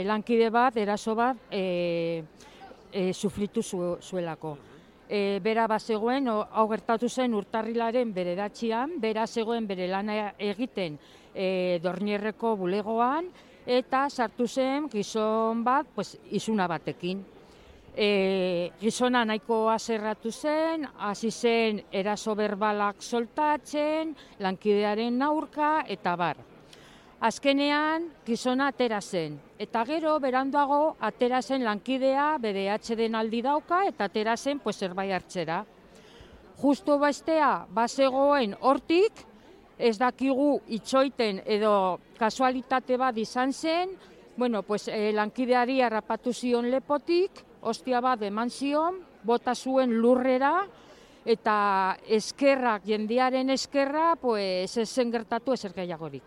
Lankide bat, eraso bat, sufritu zuelako. Bera bazegoen, hau gertatu zen urtarrilaren 9an, bera zegoen bere lana egiten Dornierreko bulegoan, eta sartu zen gizon bat, izuna batekin. Gizona nahiko haserratu zen, hasi zen eraso berbalak soltatzen, lankidearen aurka eta bar. Azkenean gizona atera zen, eta gero beranduago atera zen lankidea, bere atxeden aldi dauka, eta atera zen zerbait hartzera. Justo bestea bazegoen hortik, ez dakigu itxoiten edo kasualitate bat izan zen, lankideari harrapatu zion lepotik, ostia bat eman zion, bota zuen lurrera, eta eskerrak, jendearen eskerra, ez zen gertatu ezer gehiagorik.